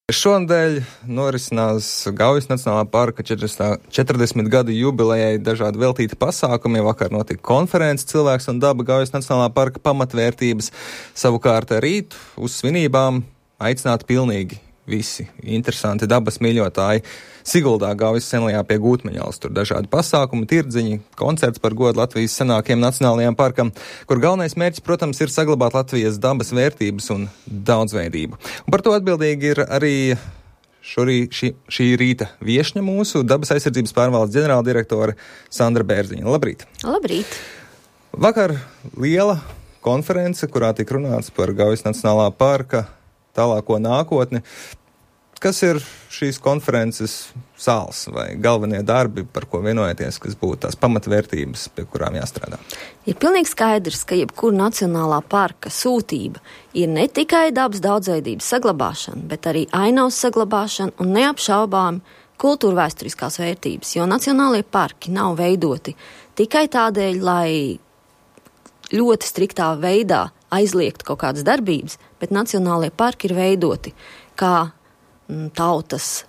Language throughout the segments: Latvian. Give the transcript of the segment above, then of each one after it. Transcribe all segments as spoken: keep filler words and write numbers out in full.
Šonadēļ norisinās Gaujas Nacionālā parka četrdesmit gadu jubilejai dažādi veltīti pasākumi. Vakar notika konferences Cilvēks un daba Gaujas Nacionālā parka pamatvērtības. Savukārt rīt uz svinībām aicināti pilnīgi visi interesanti dabas mīļotāji. Siguldā Gaujas senlajā pie Gūtmeņalas. Tur dažādi pasākumi, tirdziņi, koncerts par godu Latvijas senākajam nacionālajām parkam, kur galvenais mērķis, protams, ir saglabāt Latvijas dabas vērtības un daudzveidību. Un par to atbildīgi ir arī šorī, šī, šī rīta viešņa mūsu dabas aizsardzības pārvaldes ģenerāldirektore Sandra Bērziņa. Labrīt! Labrīt! Vakar liela konference, kurā tika runāts par Gaujas Nacionālā parka tālāko nākotni. Kas ir šīs konferences sāls vai galvenie darbi, par ko vienojaties, kas būtu tās pamatvērtības, pie kurām jāstrādā? Ir pilnīgi skaidrs, ka jebkura nacionālā parka sūtība ir ne tikai dabas daudzveidības saglabāšana, bet arī ainavas saglabāšana un neapšaubām kultūra vēsturiskās vērtības, jo nacionālie parki nav veidoti tikai tādēļ, lai ļoti striktā veidā aizliegt kaut kādas darbības, bet nacionālie parki ir veidoti kā tautas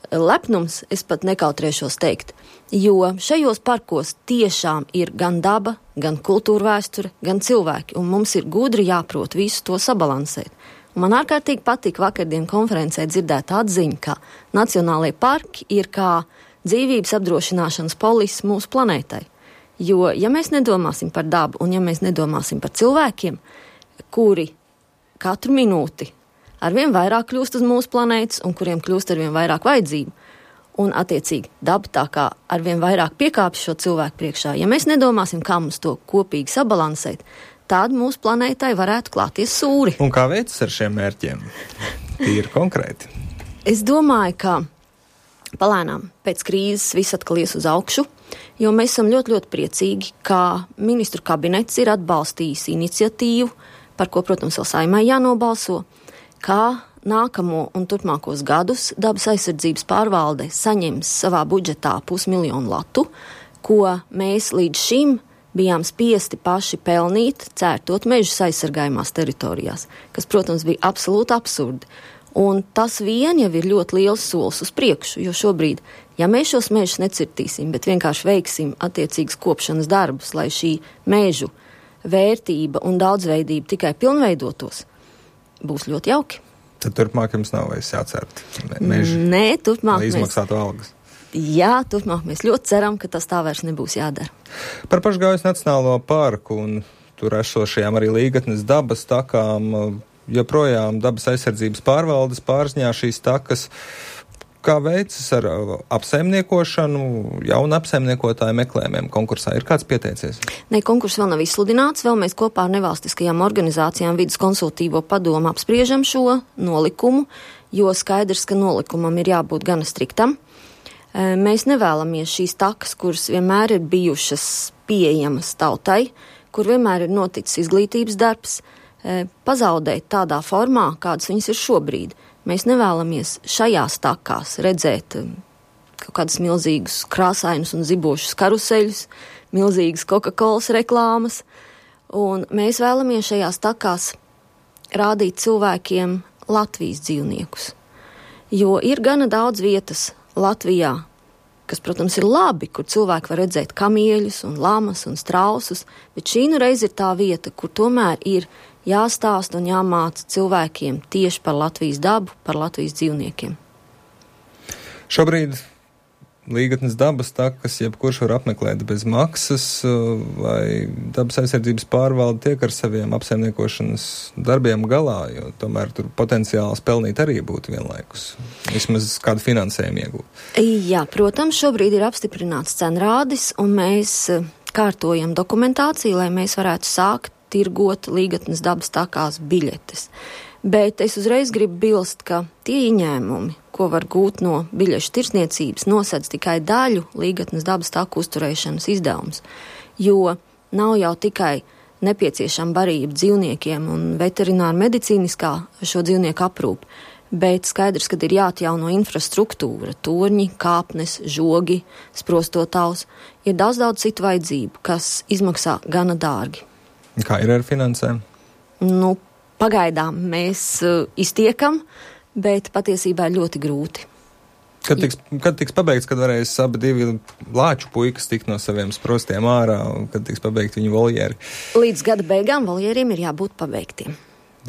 lepnums, es pat nekautrēšos teikt, jo šajos parkos tiešām ir gan daba, gan kultūra vēsture, gan cilvēki, un mums ir gudri jāprot visu to sabalansēt. Un man ārkārtīgi patīk vakardien konferencē dzirdēt atziņu, ka nacionālie parki ir kā dzīvības apdrošināšanas polis mūsu planētai. Jo, ja mēs nedomāsim par dabu un ja mēs nedomāsim par cilvēkiem, kuri katru minūti arvien vairāk kļūst uz mūsu planētas un kuriem kļūst arvien vairāk vajadzību, un attiecīgi daba tā kā arvien vairāk piekāpjas šo cilvēku priekšā, ja mēs nedomāsim, kā mums to kopīgi sabalansēt, tad mūsu planētai varētu klāties sūri. Un kā veicas ar šiem mērķiem? Tīri konkrēti. Es domāju, ka palēnām pēc krīzes viss atkal ies uz augšu, jo mēs esam ļoti, ļoti priecīgi, ka ministru kabinets ir atbalstījis iniciatīvu, par ko, protams, vēl Saeimai jānobalso, kā nākamo un turpmākos gadus dabas aizsardzības pārvalde saņems savā budžetā pusmiljonu latu, ko mēs līdz šim bijām spiesti paši pelnīt, cērtot mežus aizsargājumās teritorijās, kas, protams, bija absolūti absurdi. Un tas vien jau ir ļoti liels solis uz priekšu, jo šobrīd, ja mēs šos mežus necirtīsim, bet vienkārši veiksim attiecīgas kopšanas darbus, lai šī mežu vērtība un daudzveidība tikai pilnveidotos, būs ļoti jauki. Tad turpmāk jums nav vairs jācērt meži, Nē, turpmāk lai izmaksātu mēs... algas. Jā, turpmāk mēs ļoti ceram, ka tas tā vairs nebūs jādara. Par pašu Gaujas Nacionālo parku un tur esošajām arī līgatnes dabas takām, joprojām dabas aizsardzības pārvaldes pārziņā šīs takas. Kā veicas ar apsaimniekošanu, jaunu apsaimniekotāju meklējumiem konkursā? Ir kāds pieteicies? Ne, konkurss vēl nav izsludināts, vēl mēs kopā ar nevalstiskajām organizācijām Vides konsultīvo padomu apspriežam šo nolikumu, jo skaidrs, ka nolikumam ir jābūt gana striktam. Mēs nevēlamies šīs takas, kuras vienmēr ir bijušas pieejamas tautai, kur vienmēr ir noticis izglītības darbs, pazaudēt tādā formā, kādas viņas ir šobrīd. Mēs nevēlamies šajās takās redzēt kaut kādus milzīgus krāsainus un zibošus karuseļus, milzīgas Coca-Colas reklāmas, un mēs vēlamies šajās takās rādīt cilvēkiem Latvijas dzīvniekus. Jo ir gana daudz vietas Latvijā, kas, protams, ir labi, kur cilvēki var redzēt kamieļus un lamas un strausus, bet šī nu reiz ir tā vieta, kur tomēr ir jāstāst un jāmāca cilvēkiem tieši par Latvijas dabu, par Latvijas dzīvniekiem. Šobrīd līgatnes dabas takas, jebkurš var apmeklēt bez maksas, vai dabas aizsardzības pārvalde tiek ar saviem apsaimniekošanas darbiem galā, jo tomēr tur potenciāls pelnīt arī būtu vienlaikus. Vismaz kādu finansējumu iegūt. Jā, protams, šobrīd ir apstiprināts cenrādis, un mēs kārtojam dokumentāciju, lai mēs varētu sākt tirgot līgatnes dabas takās biļetes. Bet es uzreiz gribu bilst, ka tie ieņēmumi, ko var gūt no biļešu tirsniecības, nosedz tikai daļu līgatnes dabas taku uzturēšanas izdevums, jo nav jau tikai nepieciešama barība dzīvniekiem un veterināra medicīniskā šo dzīvnieku aprūpe, bet skaidrs, ka ir jāatjauno infrastruktūra, torņi, kāpnes, žogi, sprostotavs, ir daudz, daudz citu vajadzību, kas izmaksā gana dārgi. Kā ir ar finansēm? Nu, pagaidām mēs uh, iztiekam, bet patiesībā ir ļoti grūti. Kad tiks, kad tiks pabeigts, kad varēs abi divi lāču puikas tikt no saviem sprostiem ārā, kad tiks pabeigti viņu voljeri? Līdz gada beigām voljeriem ir jābūt pabeigtiem.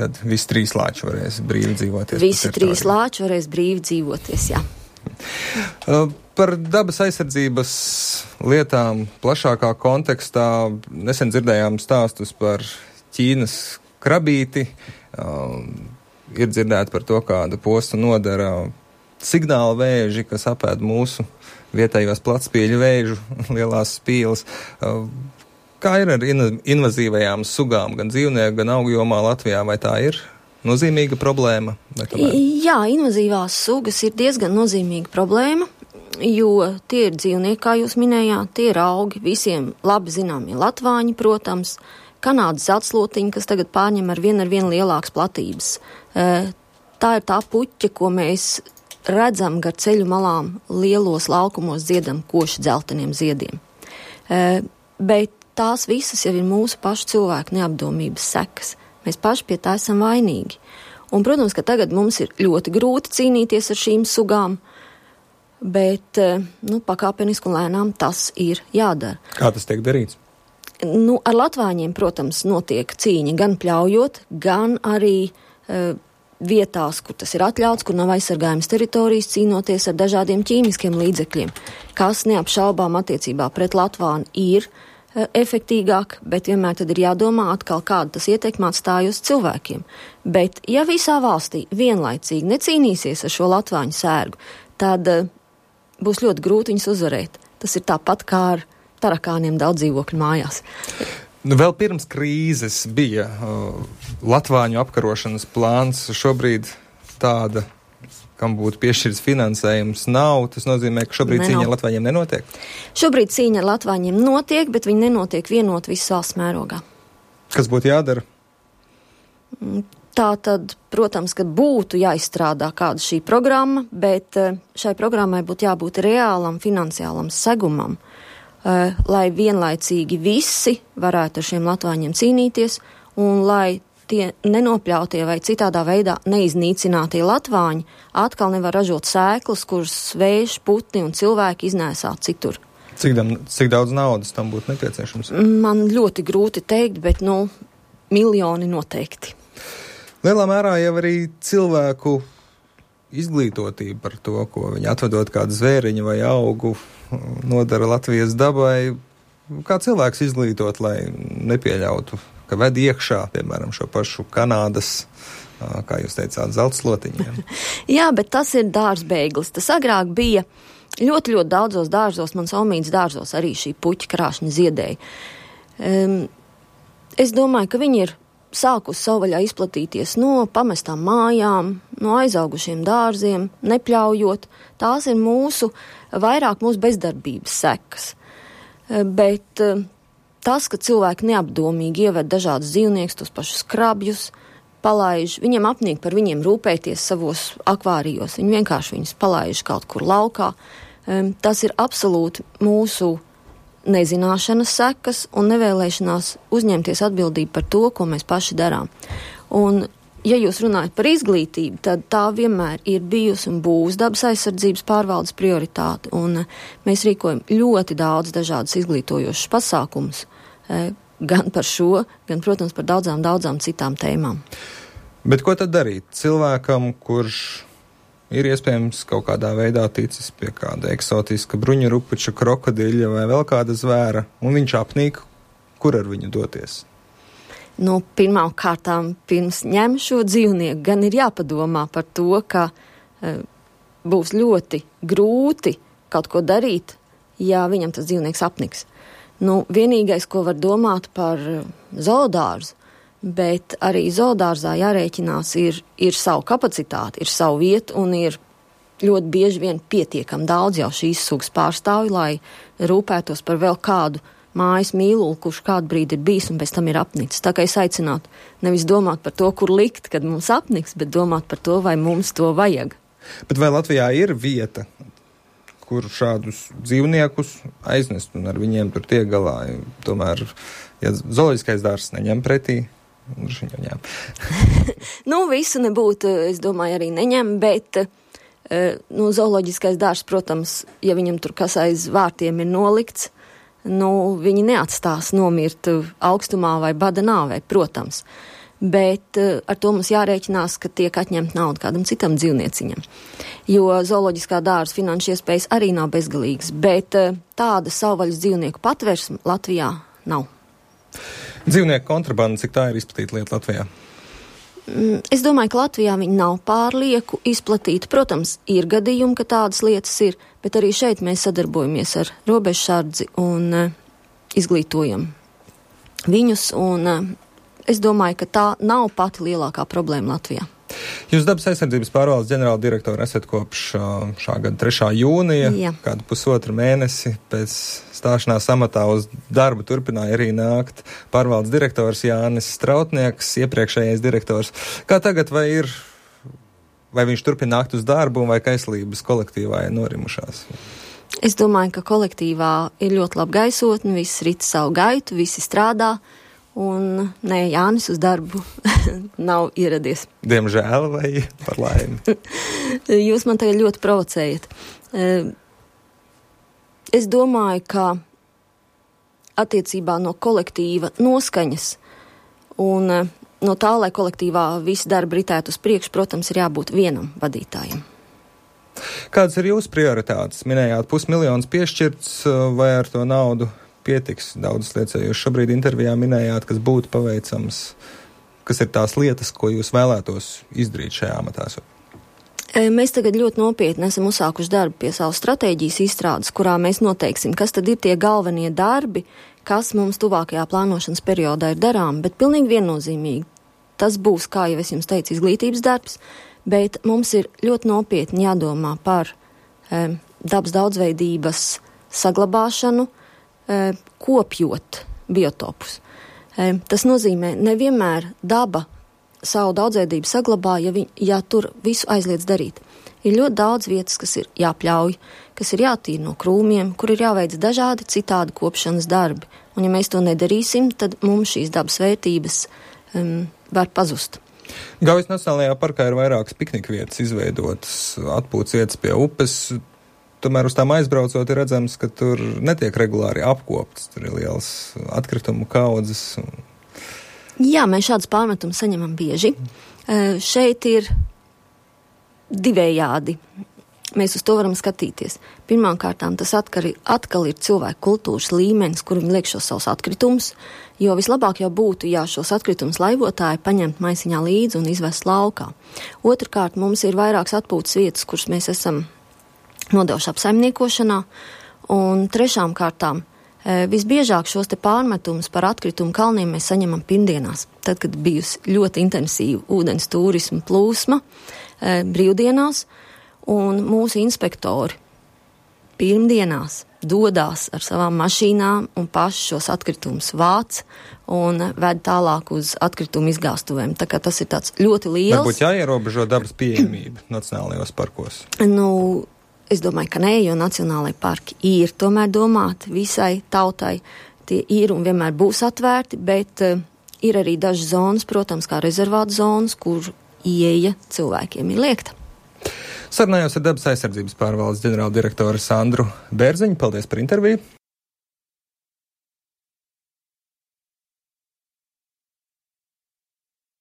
Tad visi trīs lāči varēs brīvi dzīvoties. Visi trīs lāči varēs brīvi dzīvoties, jā. Par dabas aizsardzības lietām plašākā kontekstā nesen dzirdējām stāstus par Ķīnas krabīti. Ir dzirdēti par to, kāda posta nodara signāla vēži, kas apēd mūsu vietējos platspīļu vēžu lielās spīles. Kā ir ar invazīvajām sugām, gan dzīvnieku, gan augu jomā Latvijā, vai tā ir nozīmīga problēma? Jā, invazīvās sugas ir diezgan nozīmīga problēma, jo tie ir dzīvnieki, kā jūs minējāt, tie ir augi, visiem labi zināmie latvāņi, protams, Kanādas atslotiņi, kas tagad pārņem ar vien ar vien lielākas platības. Tā ir tā puķa, ko mēs redzam gar ceļu malām lielos laukumos dziedam koši dzelteniem ziediem. E, bet tās visas jau ir mūsu pašu cilvēku neapdomības sekas. Mēs paši pie tā esam vainīgi. Un, protams, ka tagad mums ir ļoti grūti cīnīties ar šīm sugām, bet, nu, pakāpeniski un lēnām tas ir jādara. Kā tas tiek darīts? Nu, ar latvāņiem, protams, notiek cīņa gan pļaujot, gan arī e, vietās, kur tas ir atļauts, kur nav aizsargājums teritorijas, cīnoties ar dažādiem ķīmiskiem līdzekļiem, kas neapšaubām attiecībā pret latvāni ir e, efektīgāk, bet vienmēr tad ir jādomā atkal, kāda tas ietekmē atstāj uz cilvēkiem. Bet, ja visā valstī vienlaicīgi necīnīsies ar šo latvāņu sērgu, tad e, būs ļoti grūti viņus uzvarēt. Tas ir tāpat kā ar tarakāniem daudz dzīvokļu mājās. Nu, vēl pirms krīzes bija uh, latvāņu apkarošanas plāns. Šobrīd tāda, kam būtu piešķirts finansējums, nav. Tas nozīmē, ka šobrīd ne, cīņa ar latvāņiem nenotiek? Šobrīd cīņa ar latvāņiem notiek, bet viņi nenotiek vienot visas valsts mērogā. Kas būtu jādara? Tā tad, protams, ka būtu jāizstrādā kāda šī programma, bet šai programmai būtu jābūt reālam finansiālam segumam, Uh, lai vienlaicīgi visi varētu ar šiem latvāņiem cīnīties un lai tie nenopļautie vai citādā veidā neiznīcinātie latvāņi atkal nevar ražot sēklas, kuras vējš, putni un cilvēki iznēsā citur. Cik, dam, cik daudz naudas tam būtu nepieciešams? Man ļoti grūti teikt, bet, nu, miljoni noteikti. Lielā mērā jau arī cilvēku izglītotība par to, ko viņi atvedot kādu zvēriņu vai augu nodara Latvijas dabai. Kā cilvēks izglītot, lai nepieļautu, ka ved iekšā, piemēram, šo pašu Kanādas, kā jūs teicāt, zeltslotiņiem? Jā, bet tas ir dārzbeiglis. Tas agrāk bija ļoti, ļoti daudzos dārzos, mans omīts dārzos arī šī puķa krāšņa ziedēja. Um, es domāju, ka viņi ir sākus savvaļā izplatīties no pamestām mājām, no aizaugušiem dārziem, nepļaujot. Tās ir mūsu, vairāk mūsu bezdarbības sekas. Bet tas, ka cilvēki neapdomīgi ieved dažādus dzīvniekus, tos pašus krabjus, palaiž, viņiem apnīk par viņiem rūpēties savos akvārijos. Viņi vienkārši viņus palaiž kaut kur laukā. Tas ir absolūti mūsu nezināšanas sekas un nevēlēšanās uzņemties atbildību par to, ko mēs paši darām. Un, ja jūs runājat par izglītību, tad tā vienmēr ir bijusi un būs dabas aizsardzības pārvaldes prioritāte. Un mēs rīkojam ļoti daudz dažādas izglītojošas pasākumus, gan par šo, gan, protams, par daudzām, daudzām citām tēmām. Bet ko tad darīt cilvēkam, kurš ir iespējams kaut kādā veidā ticis pie kāda eksotiska bruņurupuča, krokodiļa vai vēl kāda zvēra, un viņš apnīk, kur ar viņu doties? Nu, pirmām kārtām, pirms ņem šo dzīvnieku, gan ir jāpadomā par to, ka e, būs ļoti grūti kaut ko darīt, ja viņam tas dzīvnieks apniks. Nu, vienīgais, ko var domāt par zoodārzu, bet arī zoodārzā jārēķinās ir, ir savu kapacitāti, ir savu vietu un ir ļoti bieži vien pietiekam daudz jau šīs sugas pārstāvju, lai rūpētos par vēl kādu mājas mīluli, kurš kādu brīdi ir bijis un pēc tam ir apnicis. Tā kā es aicinātu nevis domāt par to, kur likt, kad mums apniks, bet domāt par to, vai mums to vajag. Bet vai Latvijā ir vieta, kur šādus dzīvniekus aiznest un ar viņiem tur tiek galā? Tomēr, ja zooloģiskais dārzs neņem pretī Droši vien ņem. Nu, visu nebūtu, es domāju, arī neņem, bet nu, zooloģiskais dārzs, protams, ja viņam tur kas aiz vārtiem ir nolikts, nu, viņi neatstās nomirt augstumā vai bada nāvē, protams. Bet ar to mums jārēķinās, ka tiek atņemt naudu kādam citam dzīvnieciņam. Jo zooloģiskā dārza finanšu iespējas arī nav bezgalīgas, bet tāda savvaļas dzīvnieku patversme Latvijā nav. Dzīvnieku kontrabanda, cik tā ir izplatīta lieta Latvijā? Es domāju, ka Latvijā viņi nav pārlieku izplatīti. Protams, ir gadījumi, ka tādas lietas ir, bet arī šeit mēs sadarbojamies ar robežsardzi un uh, izglītojam viņus, un uh, es domāju, ka tā nav pati lielākā problēma Latvijā. Jūs dabas aizsardzības pārvaldes ģenerāla direktora esat kopš uh, šā gada trešā jūnija, Jā. kādu pusotru mēnesi pēc stāšanās amatā uz darbu turpināja arī nākt pārvaldes direktors Jānis Strautnieks, iepriekšējais direktors. Kā tagad, vai ir, vai viņš turpina nākt uz darbu, vai kaislības kolektīvā ir norimušās? Es domāju, ka kolektīvā ir ļoti laba gaisotne, visi rit savu gaitu, visi strādā, un nē, Jānis uz darbu nav ieradies. Diemžēl vai par laimi? Jūs man tagad ļoti provocējat. Es domāju, ka attiecībā no kolektīva noskaņas un no tā, lai kolektīvā visi darbi ritētu uz priekšu, protams, ir jābūt vienam vadītājam. Kādas ir jūsu prioritātes? Minējāt, pusmiljons piešķirts, vai ar to naudu pietiks? Daudzas lietas, jūs šobrīd intervijā minējāt, kas būtu paveicams, kas ir tās lietas, ko jūs vēlētos izdarīt šajā amatā? Mēs tagad ļoti nopietni esam uzsākuši darbu pie savu stratēģijas izstrādes, kurā mēs noteiksim, kas tad ir tie galvenie darbi, kas mums tuvākajā plānošanas periodā ir darām, bet pilnīgi viennozīmīgi. Tas būs, kā jau es jums teicu, izglītības darbs, bet mums ir ļoti nopietni jādomā par e, dabas daudzveidības saglabāšanu, e, kopjot biotopus. E, tas nozīmē, nevienmēr daba savu daudzveidību saglabā, ja, vi, ja tur visu aizliedz darīt. Ir ļoti daudz vietas, kas ir jāpļauj, kas ir jātīra no krūmiem, kur ir jāveic dažādi citādi kopšanas darbi. Un ja mēs to nedarīsim, tad mums šīs dabas vērtības um, var pazust. Gaujas Nacionālajā parkā ir vairākas piknika vietas izveidotas, atpūtas vietas pie upes. Tomēr uz tām aizbraucot ir redzams, ka tur netiek regulāri apkoptas. Tur ir liels atkritumu kaudzes. Jā, mēs šādus pārmetumus saņemam bieži. Uh, šeit ir divējādi. Mēs uz to varam skatīties. Pirmkārtām tas atkal, atkal ir cilvēku kultūras līmenis, kur viņi liek šos savus atkritumus, jo vislabāk jau būtu, ja šos atkritumus laivotāji paņemt maisiņā līdzi un izvest laukā. Otrkārt, mums ir vairākas atpūtas vietas, kuras mēs esam nodevuši apsaimniekošanā, un trešām kārtām visbiežāk šos te pārmetumus par atkritumu kalniem mēs saņemam pirmdienās, tad, kad bijusi ļoti intensīva ūdens turisma plūsma brīvdienās, un mūsu inspektori pirmdienās dodās ar savām mašīnām un paši šos atkritumus vāc un ved tālāk uz atkritumu izgāstuvēm. Tā kā tas ir tāds ļoti liels. Varbūt jāierobežo dabas pieejamība nacionālajos parkos? Nu, es domāju, ka nē, jo nacionālajie parki ir tomēr domāti visai tautai. Tie ir un vienmēr būs atvērti, bet uh, ir arī dažas zonas, protams, kā rezervāta zonas, kur ieeja cilvēkiem ir liekta. Sarunājos ar dabas aizsardzības pārvaldes ģenerāldirektoru Sandru Bērziņu. Paldies par interviju.